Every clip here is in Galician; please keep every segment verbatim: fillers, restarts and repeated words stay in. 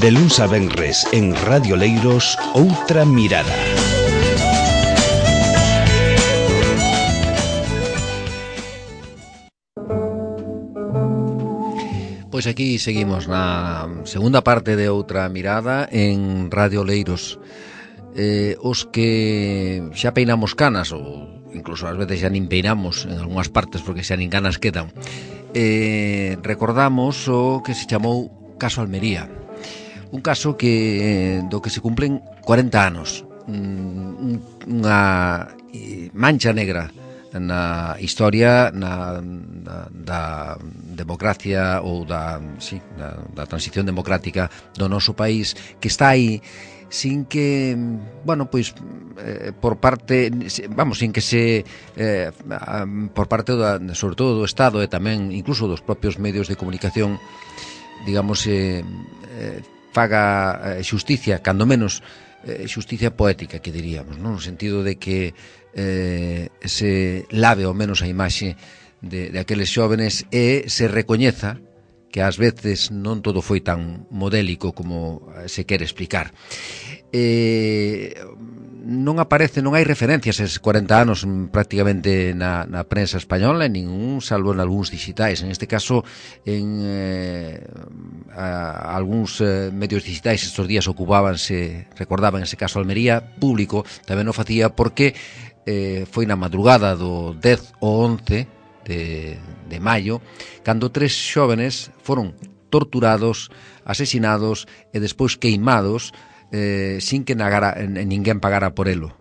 De luns a venres en Radio Leiros, Outra Mirada. Pois aquí seguimos na segunda parte de Outra Mirada en Radio Leiros. Eh, os que xa peinamos canas, ou incluso ás veces xa nin peinamos en algunhas partes porque xa nin canas quedan, eh, recordamos o que se chamou Caso Almería. Un caso que do que se cumplen corenta anos, unha mancha negra na historia na, na, da democracia ou da, sí, da, da transición democrática do noso país, que está aí sin que, bueno, pois eh, por parte, vamos, sin que se eh, por parte da, sobre todo do Estado e tamén incluso dos propios medios de comunicación, digamos, eh, eh, faga xusticia, cando menos eh, xusticia poética, que diríamos, non? No sentido de que eh, se lave ao menos a imaxe de, de aqueles xóvenes e se recoñeza que ás veces non todo foi tan modélico como se quere explicar. Eh, non aparece, non hai referencias a eses corenta anos prácticamente na, na prensa española, en ningún, salvo en algúns digitais. En este caso, en eh, a, a algúns eh, medios digitais estes días ocupábanse, recordaban ese caso Almería, público tamén o facía porque eh, foi na madrugada do dez ou once de, de maio, cando tres xóvenes foron torturados, asesinados e despois queimados eh, sin que nagara, ninguén pagara por elo.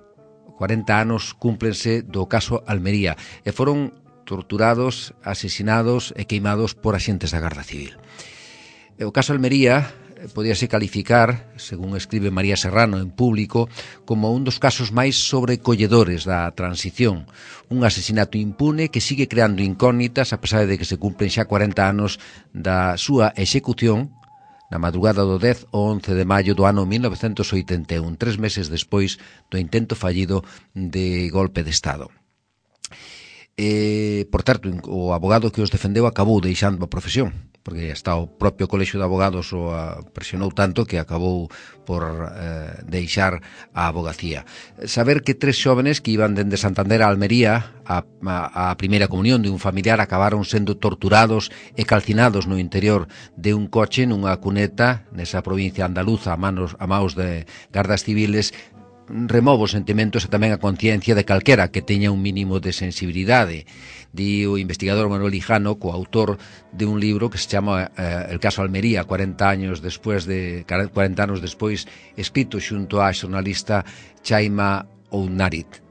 corenta anos cúmplense do caso Almería e foron torturados, asesinados e queimados por axentes da Garda Civil. O caso Almería podíase calificar, según escribe María Serrano en Público, como un dos casos máis sobrecolledores da transición. Un asesinato impune que sigue creando incógnitas a pesar de que se cumplen xa corenta anos da súa execución na madrugada do dez ou once de maio do ano mil novecentos oitenta e un, tres meses despois do intento fallido de golpe de Estado. Eh, por certo, o abogado que os defendeu acabou deixando a profesión, porque hasta o propio Colexio de Abogados o presionou tanto que acabou por eh, deixar a abogacía. Saber que tres xóvenes que iban dende Santander a Almería a, a, a primeira comunión de un familiar acabaron sendo torturados e calcinados no interior de un coche nunha cuneta nesa provincia andaluza a manos, a maus de gardas civiles remove os sentimentos e tamén a conciencia de calquera que teña un mínimo de sensibilidade. Di o investigador Manuel Hijano, coautor de un libro que se chama eh, El caso Almería, cuarenta años despois de cuarenta anos despois, escrito xunto á xornalista Chaima Ounarit.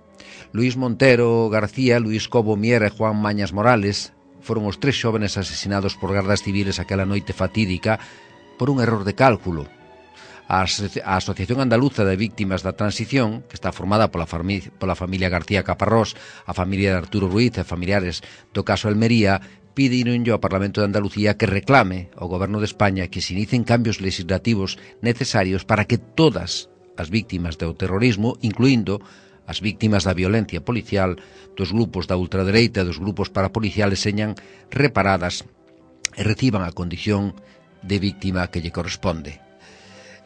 Luís Montero García, Luís Cobo Mier e Juan Mañas Morales foron os tres xóvenes asesinados por gardas civiles aquela noite fatídica por un error de cálculo. A Asociación Andaluza de Víctimas da Transición, que está formada pola, fami- pola familia García Caparrós, a familia de Arturo Ruiz e familiares do caso Almería, pidinonlle ao Parlamento de Andalucía que reclame ao Goberno de España que se inicien cambios legislativos necesarios para que todas as víctimas do terrorismo, incluindo as víctimas da violencia policial, dos grupos da ultradereita e dos grupos parapoliciales, señan reparadas e reciban a condición de víctima que lle corresponde.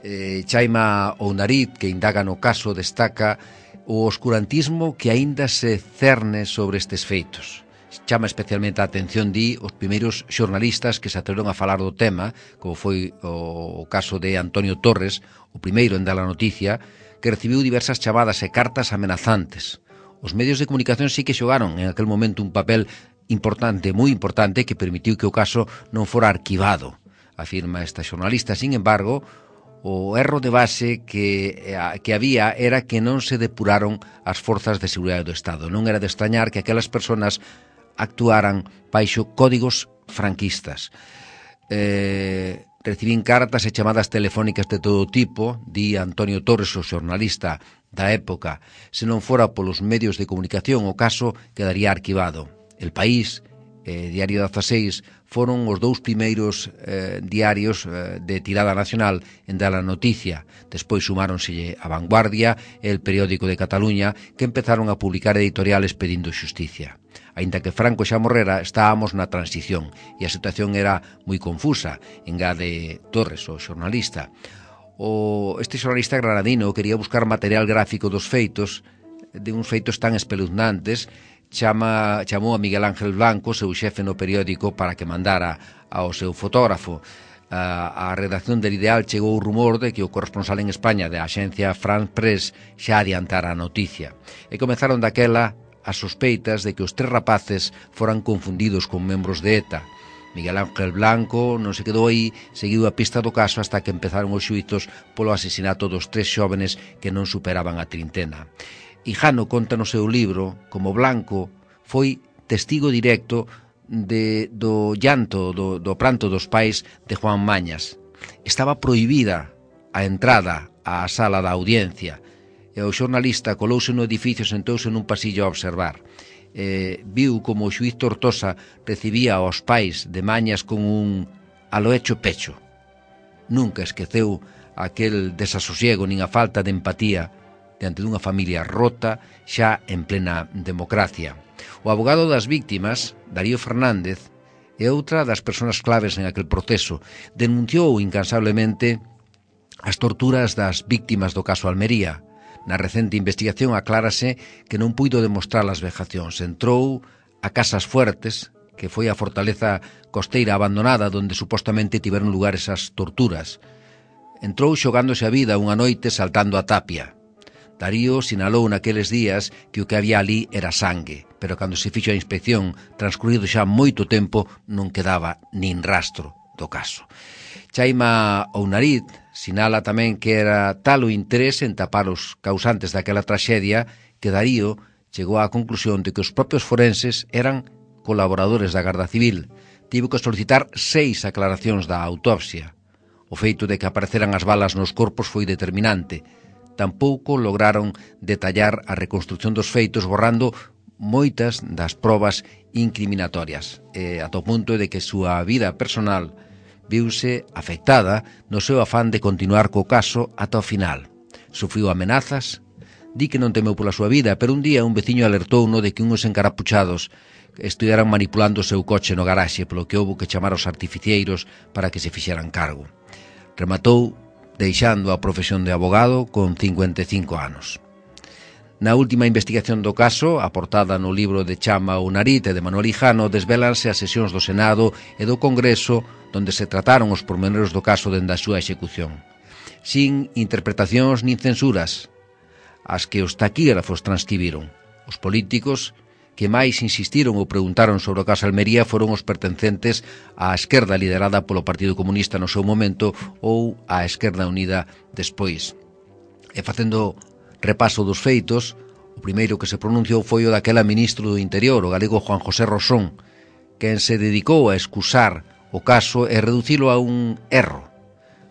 Eh, Chaima Ounarit, que indaga no caso, destaca o oscurantismo que aínda se cerne sobre estes feitos. Chama especialmente a atención, di, os primeiros xornalistas que se atreveron a falar do tema, como foi o caso de Antonio Torres, o primeiro en dar a noticia, que recibiu diversas chamadas e cartas amenazantes. Os medios de comunicación sí que xogaron en aquel momento un papel importante, moi importante, que permitiu que o caso non fora arquivado, afirma esta xornalista. Sin embargo, o erro de base que, que había era que non se depuraron as forzas de seguridade do Estado. Non era de extrañar que aquelas persoas actuaran baixo códigos franquistas. Eh, recibín cartas e chamadas telefónicas de todo tipo, di Antonio Torres, o xornalista da época. Se non fora polos medios de comunicación, o caso quedaría arquivado. El País, eh, Diario dezaseis, foron os dous primeiros eh, diarios eh, de tirada nacional en dar a noticia. Despois sumáronselle a Vanguardia e el Periódico de Cataluña, que empezaron a publicar editoriales pedindo xusticia. Aínda que Franco xa morrera, estábamos na transición e a situación era moi confusa, engade Torres, o xornalista. O, este xornalista granadino quería buscar material gráfico dos feitos, de uns feitos tan espeluznantes, chama, chamou a Miguel Ángel Blanco, seu xefe no periódico, para que mandara ao seu fotógrafo. A, a redacción del Ideal chegou o rumor de que o corresponsal en España da axencia France Press xa adiantara a noticia. E comezaron daquela as sospeitas de que os tres rapaces foran confundidos con membros de ETA. Miguel Ángel Blanco non se quedou aí, seguiu a pista do caso hasta que empezaron os xuizos polo asesinato dos tres xóvenes que non superaban a trintena. Hijano conta no seu libro como Blanco foi testigo directo de, do llanto, do, do pranto dos pais de Juan Mañas. Estaba prohibida a entrada á sala da audiencia e o xornalista colouse no edificio e sentouse nun pasillo a observar. Eh, viu como o xuiz Tortosa recibía aos pais de Mañas con un alo hecho pecho. Nunca esqueceu aquel desasosiego nin a falta de empatía diante dunha familia rota xa en plena democracia. O abogado das víctimas, Darío Fernández, é outra das persoas claves en aquel proceso. Denunciou incansablemente as torturas das víctimas do caso Almería. Na recente investigación aclárase que non puido demostrar as vejacións. Entrou a Casas Fuertes, que foi a fortaleza costeira abandonada onde supostamente tiveron lugar esas torturas. Entrou xogándose a vida unha noite saltando a tapia. Darío sinalou naqueles días que o que había ali era sangue, pero cando se fixo a inspección, transcurrido xa moito tempo, non quedaba nin rastro do caso. Chaima Ounariz sinala tamén que era tal o interés en tapar os causantes daquela traxedia que Darío chegou á conclusión de que os propios forenses eran colaboradores da Garda Civil. Tivo que solicitar seis aclaracións da autopsia. O feito de que apareceran as balas nos corpos foi determinante. Tampouco lograron detallar a reconstrucción dos feitos borrando moitas das probas incriminatorias, e ata o punto de que a súa vida personal viuse afectada no seu afán de continuar co caso ata o final. Sufriu amenazas, di que non temeu pola súa vida, pero un día un veciño alertouno de que unhos encarapuchados estuveran manipulando o seu coche no garaxe, polo que houbo que chamar aos artificieiros para que se fixeran cargo. Rematou deixando a profesión de abogado con cincuenta e cinco anos. Na última investigación do caso, aportada no libro de Chama Ounariz e de Manuel Hijano, desvélanse as sesións do Senado e do Congreso donde se trataron os pormenores do caso dende a súa execución. Sin interpretacións nin censuras, as que os taquígrafos transcribiron. Os políticos que máis insistiron ou preguntaron sobre o caso Almería foron os pertencentes á esquerda liderada polo Partido Comunista no seu momento ou á Esquerda Unida despois. E facendo repaso dos feitos, o primeiro que se pronunciou foi o daquela ministro do Interior, o galego Juan José Rosón, quen se dedicou a excusar o caso e reducilo a un erro.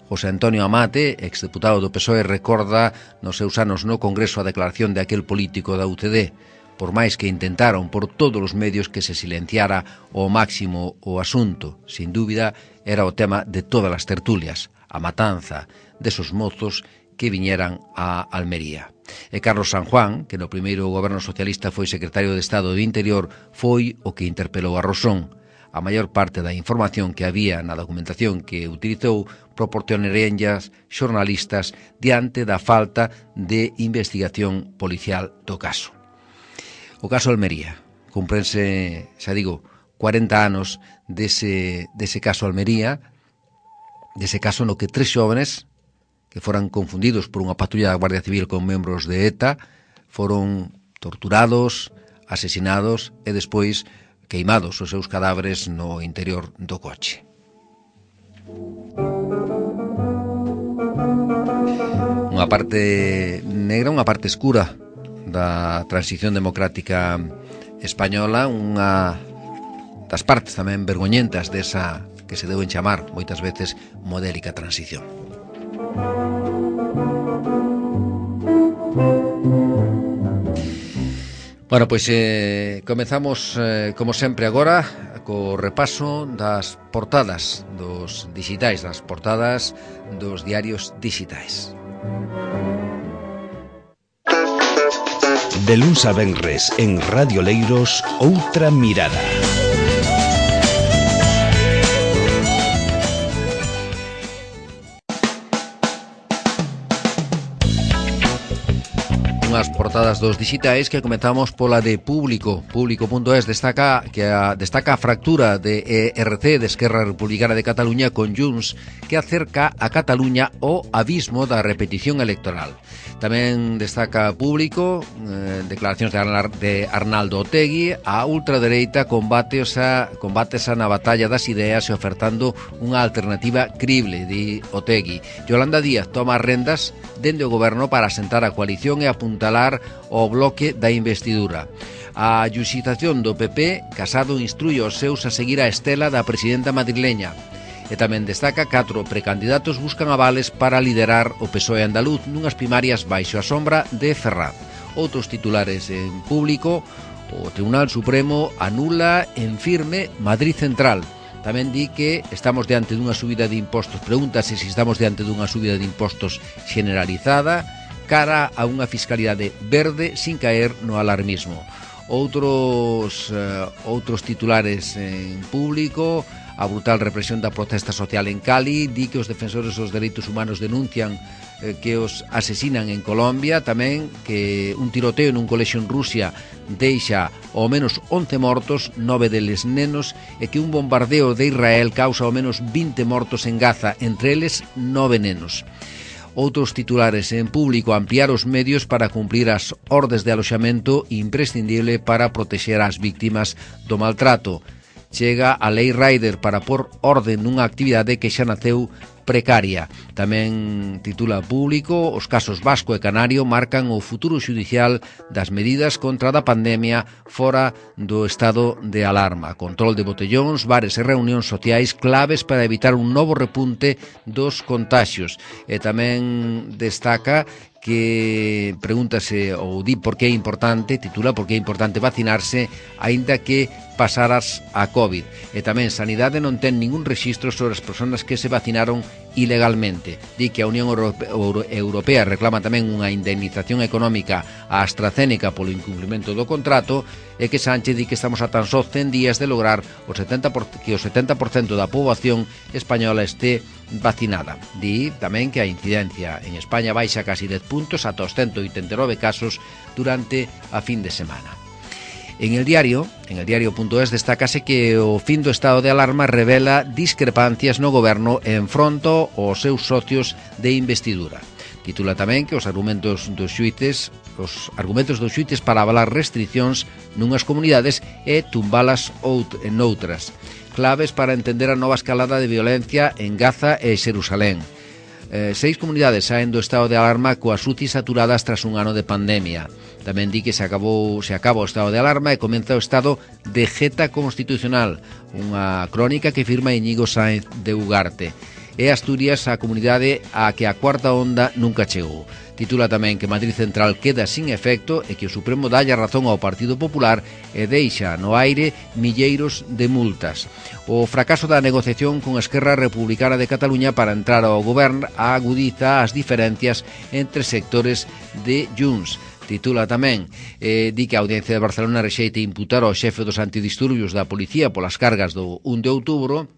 José Antonio Amate, exdeputado do P S O E, recorda nos seus anos no Congreso a declaración de aquel político da U C D. Por máis que intentaron por todos os medios que se silenciara ao máximo o asunto, sin dúbida era o tema de todas as tertulias, a matanza desos mozos que viñeran a Almería. E Carlos San Juan, que no primeiro goberno socialista foi secretario de Estado do Interior, foi o que interpelou a Rosón. A maior parte da información que había na documentación que utilizou proporcionarenllas xornalistas diante da falta de investigación policial do caso. O caso Almería, cumprense, xa digo, cuarenta anos dese, dese caso Almería, dese caso no que tres xóvenes que foran confundidos por unha patrulla da Guardia Civil con membros de ETA foron torturados, asesinados e despois queimados os seus cadáveres no interior do coche. Unha parte negra, unha parte escura da transición democrática española, unha das partes tamén vergoñentas desa que se deben chamar moitas veces modélica transición. Bueno, pois eh, comezamos eh, como sempre agora co repaso das portadas dos digitais, das portadas dos diarios digitais. De luns a venres en Radio Leiros, Outra Mirada. Unhas portadas dos digitais que comentamos pola de Público. Público punto es destaca que a, destaca a fractura de E R C, de Esquerra Republicana de Cataluña, con Junts, que acerca a Cataluña ao abismo da repetición electoral. Tamén destaca Público eh, declaracións de, Arnar, de Arnaldo Otegi. A ultradereita combate a, combátesa na batalla das ideas e ofertando unha alternativa crible, di Otegi. Yolanda Díaz toma as rendas dende o goberno para asentar a coalición e apuntalar o bloque da investidura. A xustización do P P, Casado instrui os seus a seguir a estela da presidenta madrileña. E tamén destaca catro precandidatos buscan avales para liderar o P S O E andaluz nunhas primarias baixo a sombra de Ferraz. Outros titulares en Público: o Tribunal Supremo anula en firme Madrid Central. Tamén di que estamos diante dunha subida de impostos. Pregúntase se estamos diante dunha subida de impostos generalizada cara a unha fiscalidade verde sin caer no alarmismo. Outros, uh, outros titulares en Público: a brutal represión da protesta social en Cali. Di que os defensores dos dereitos humanos denuncian eh, que os asesinan en Colombia. Tamén que un tiroteo nun colexio en Rusia deixa ao menos once mortos, nove deles nenos, e que un bombardeo de Israel causa ao menos vinte mortos en Gaza, entre eles nove nenos. Outros titulares en Público: ampliar os medios para cumprir as ordes de aloxamento, imprescindible para protexer as víctimas do maltrato. Chega a Lei Rider para pôr orden nunha actividade que xa naceu precaria. Tamén titula Público: os casos vasco e canario marcan o futuro xudicial das medidas contra da pandemia fora do estado de alarma. Control de botellóns, bares e reunións sociais claves para evitar un novo repunte dos contaxios. E tamén destaca que pregúntase ou di por que é importante, titula por que é importante vacinarse aínda que pasaras a COVID. E tamén Sanidade non ten ningún rexistro sobre as persoas que se vacinaron ilegalmente. Di que a Unión Europea reclama tamén unha indemnización económica a AstraZeneca polo incumprimento do contrato, e que Sánchez di que estamos a tan só cen días de lograr o setenta por ciento, que o setenta por cento da poboación española este vacinada. Di tamén que a incidencia en España baixa casi dez puntos ata os ciento oitenta e nove casos durante a fin de semana. En el diario, en el diario punto es, destácase que o fin do estado de alarma revela discrepancias no goberno en fronto aos seus socios de investidura. Titula tamén que os argumentos dos xuíces, os argumentos dos xuíces para avalar restriccións nunhas comunidades e tumbalas out en outras. Claves para entender a nova escalada de violencia en Gaza e Xerusalén. Eh, seis comunidades saen do estado de alarma coas U C I saturadas tras un ano de pandemia. Tamén di que se acabou se acaba o estado de alarma e comeza o estado de jeta constitucional, unha crónica que firma Íñigo Sáenz de Ugarte. E Asturias, a comunidade a que a cuarta onda nunca chegou. Titula tamén que Madrid Central queda sin efecto e que o Supremo dalle razón ao Partido Popular e deixa no aire milleiros de multas. O fracaso da negociación con Esquerra Republicana de Cataluña para entrar ao goberno agudiza as diferencias entre sectores de Junts. Titula tamén, eh, di que a Audiencia de Barcelona rexeita imputar ao xefe dos antidisturbios da policía polas cargas do un de outubro,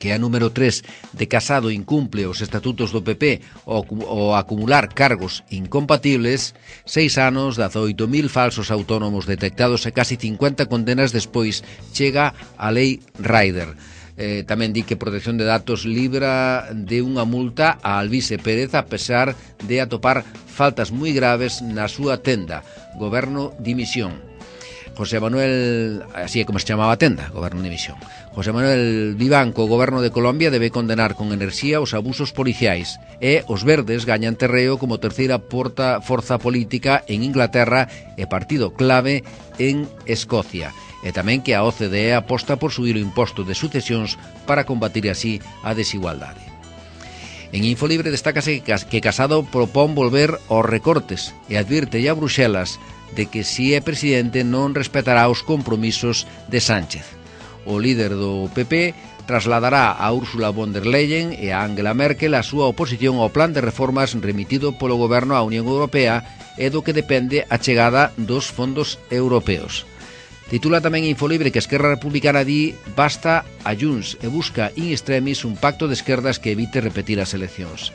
que a número tres de Casado incumple os estatutos do P P ao, ao acumular cargos incompatibles. Seis anos, dezaoito mil falsos autónomos detectados e casi cincuenta condenas despois chega a Lei Rider. Eh, tamén di que Protección de Datos libra de unha multa a Alvise Pérez a pesar de atopar faltas moi graves na súa tenda. Goberno dimisión. José Manuel, así é como se chamaba a tenda, Goberno de Dimisión. José Manuel Vivanco, o Goberno de Colombia, debe condenar con enerxía os abusos policiais, e os verdes gañan terreo como terceira porta, forza política en Inglaterra e partido clave en Escocia. E tamén que a O C D E aposta por subir o imposto de sucesións para combatir así a desigualdade. En Infolibre destácase que Casado propón volver aos recortes e advirte a Bruxelas de que si é presidente non respetará os compromisos de Sánchez. O líder do P P trasladará a Úrsula von der Leyen e a Angela Merkel a súa oposición ao plan de reformas remitido polo goberno á Unión Europea e do que depende a chegada dos fondos europeos. Titula tamén Infolibre que Esquerra Republicana di basta a Junts e busca in extremis un pacto de esquerdas que evite repetir as eleccións.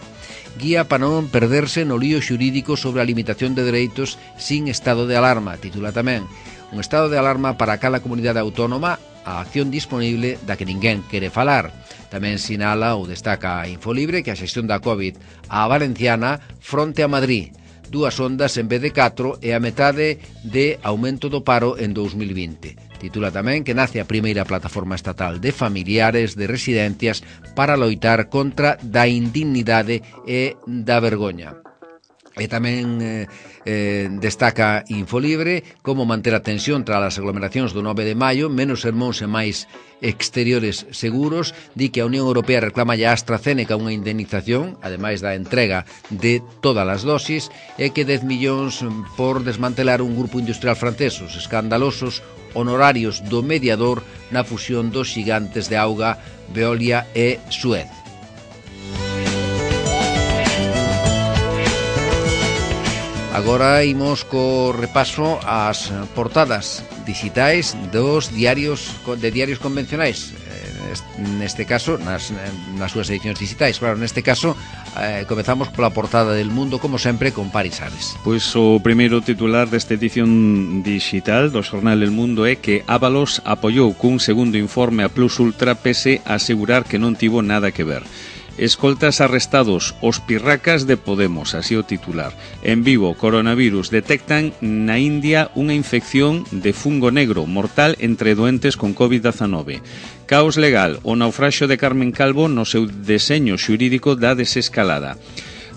Guía para non perderse no lío xurídico sobre a limitación de dereitos sin estado de alarma. Titula tamén un estado de alarma para cada comunidade autónoma, a acción disponible da que ninguén quere falar. Tamén sinala ou destaca Infolibre que a xestión da COVID a valenciana fronte a Madrid. Dúas ondas en vez de catro e a metade de aumento do paro en dous mil vinte. Titula tamén que nace a primeira plataforma estatal de familiares de residencias para loitar contra da indignidade e da vergoña. E tamén eh, eh, destaca Infolibre como manter a tensión tras as aglomeracións do nove de maio, menos sermóns e máis exteriores seguros. Di que a Unión Europea reclama a AstraZeneca unha indemnización, ademais da entrega de todas as dosis, e que dez millóns por desmantelar un grupo industrial francés, os escandalosos honorarios do mediador na fusión dos xigantes de auga Veolia e Suez. Agora imos co repaso ás portadas digitais dos diarios de diarios convencionais, neste caso nas, nas súas edicións digitais. Claro, neste caso eh, comezamos pola portada del Mundo, como sempre, con Paris Ares. Pois o primeiro titular desta edición digital do xornal El Mundo é que Ábalos apoiou cun segundo informe a Plus Ultra pese a asegurar que non tivo nada que ver. Escoltas arrestados os pirracas de Podemos, así o titular. En Vigo, coronavirus, detectan na India unha infección de fungo negro mortal entre doentes con covid diecinueve. Caos legal, o naufraxio de Carmen Calvo no seu deseño xurídico da desescalada.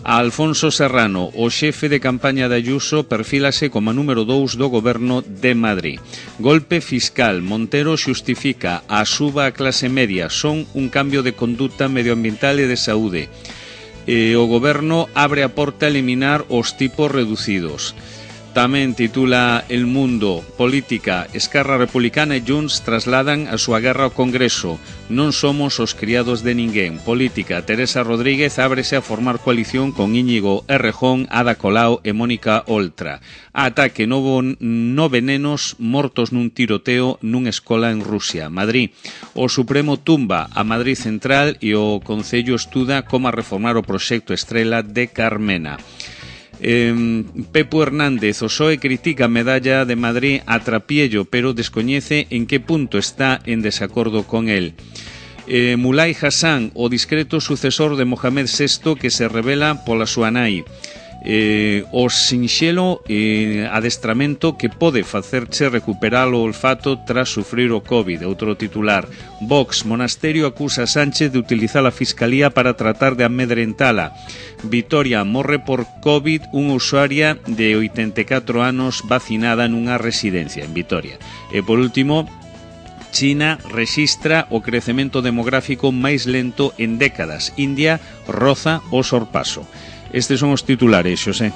A Alfonso Serrano, o xefe de campaña de Ayuso, perfílase como número dous do goberno de Madrid. Golpe fiscal, Montero xustifica a suba a clase media, son un cambio de conduta medioambiental e de saúde. E o goberno abre a porta a eliminar os tipos reducidos. Tamén titula El Mundo, política, Esquerra Republicana e Junts trasladan a súa guerra ao Congreso. Non somos os criados de ninguén. Política, Teresa Rodríguez ábrese a formar coalición con Íñigo Errejón, Ada Colau e Mónica Oltra. Ataque novo nove nenos mortos nun tiroteo nunha escola en Rusia. Madrid, o Supremo tumba a Madrid Central e o Concello estuda como reformar o proxecto Estrela de Carmena. Eh, Pepo Hernández, o P S O E critica a medalla de Madrid a Trapiello, pero descoñece en que punto está en desacordo con él. eh, Mulay Hassan, o discreto sucesor de Mohamed sexto que se revela pola súa nai. Eh, o sinxelo eh, adestramento que pode facerche recuperar o olfato tras sufrir o COVID. Outro titular. Vox, Monasterio acusa a Sánchez de utilizar a Fiscalía para tratar de amedrentala. Vitoria, morre por COVID unha usuaria de oitenta e catro anos vacinada nunha residencia en Vitoria. E por último, China rexistra o crecemento demográfico máis lento en décadas. India roza o sorpaso. Estes son os titulares, Xosé.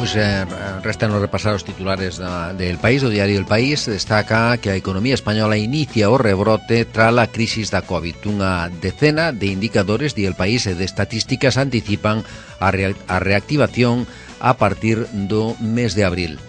Pois eh, restan nos repasar os titulares da, del País. O diario El País destaca que a economía española inicia o rebrote tras a crisis da COVID. Unha decena de indicadores, di El País, e de estatísticas anticipan a, re, a reactivación a partir do mes de abril.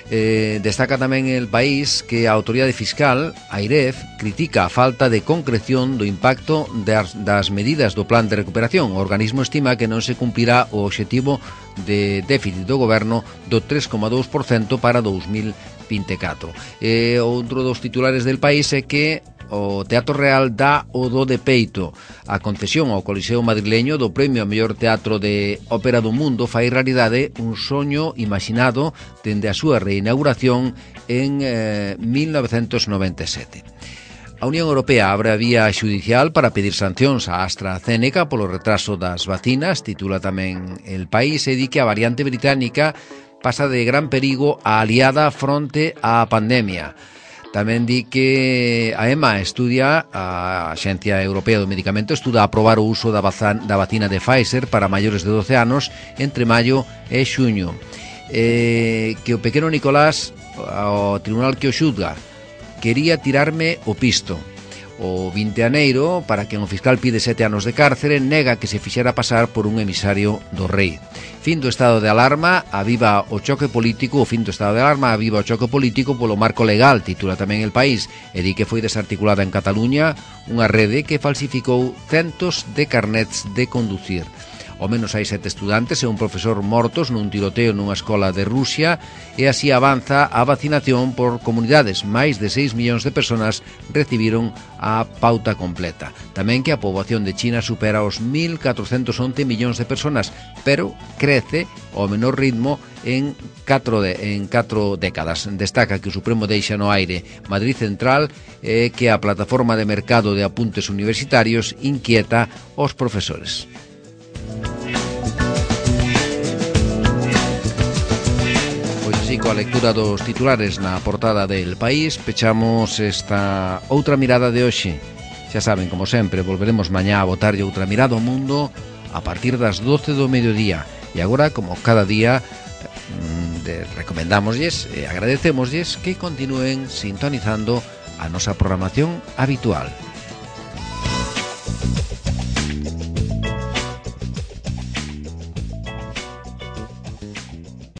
Eh, destaca tamén El País que a autoridade fiscal, Airef, critica a falta de concreción do impacto das, das medidas do plan de recuperación. O organismo estima que non se cumprirá o obxectivo de déficit do goberno do tres coma dous por cento para dous mil vinte e catro. E outro dos titulares del País é que o Teatro Real dá o do de peito. A concesión ao Coliseo madrileño do premio a mellor teatro de ópera do mundo fai realidade un soño imaginado dende a súa reinauguración en eh, mil novecentos noventa e sete. A Unión Europea abre a vía xudicial para pedir sancións a AstraZeneca polo retraso das vacinas, titula tamén El País, e di que a variante británica pasa de gran perigo a aliada fronte á pandemia. Tamén di que a EMA estudia, a Axencia Europea do Medicamento, estuda aprobar o uso da, bazan, da vacina de Pfizer para maiores de doce anos entre maio e xuño. Eh, que o pequeno Nicolás, ao tribunal que o xulga, quería tirarme o pisto. O vinte de aneiro, para quen o fiscal pide sete anos de cárcere, nega que se fixera pasar por un emisario do rei. Fin do estado de alarma, aviva o choque político, o fin do estado de alarma, aviva o choque político polo marco legal, titula tamén El País, e di que foi desarticulada en Cataluña unha rede que falsificou centos de carnets de conducir. Ao menos hai sete estudantes e un profesor mortos nun tiroteo nunha escola de Rusia, e así avanza a vacinación por comunidades. Máis de seis millóns de persoas recibiron a pauta completa. Tamén que a poboación de China supera os mil catrocentos once millóns de persoas, pero crece ao menor ritmo en catro, de, en catro décadas. Destaca que o Supremo deixa no aire Madrid Central e que a plataforma de mercado de apuntes universitarios inquieta os profesores. Así, coa lectura dos titulares na portada del País, pechamos esta outra mirada de hoxe. Xa saben, como sempre, volveremos mañá a botarlle outra mirada ao mundo a partir das doce do mediodía. E agora, como cada día, recomendámoslles e agradecémoslles que continúen sintonizando a nosa programación habitual.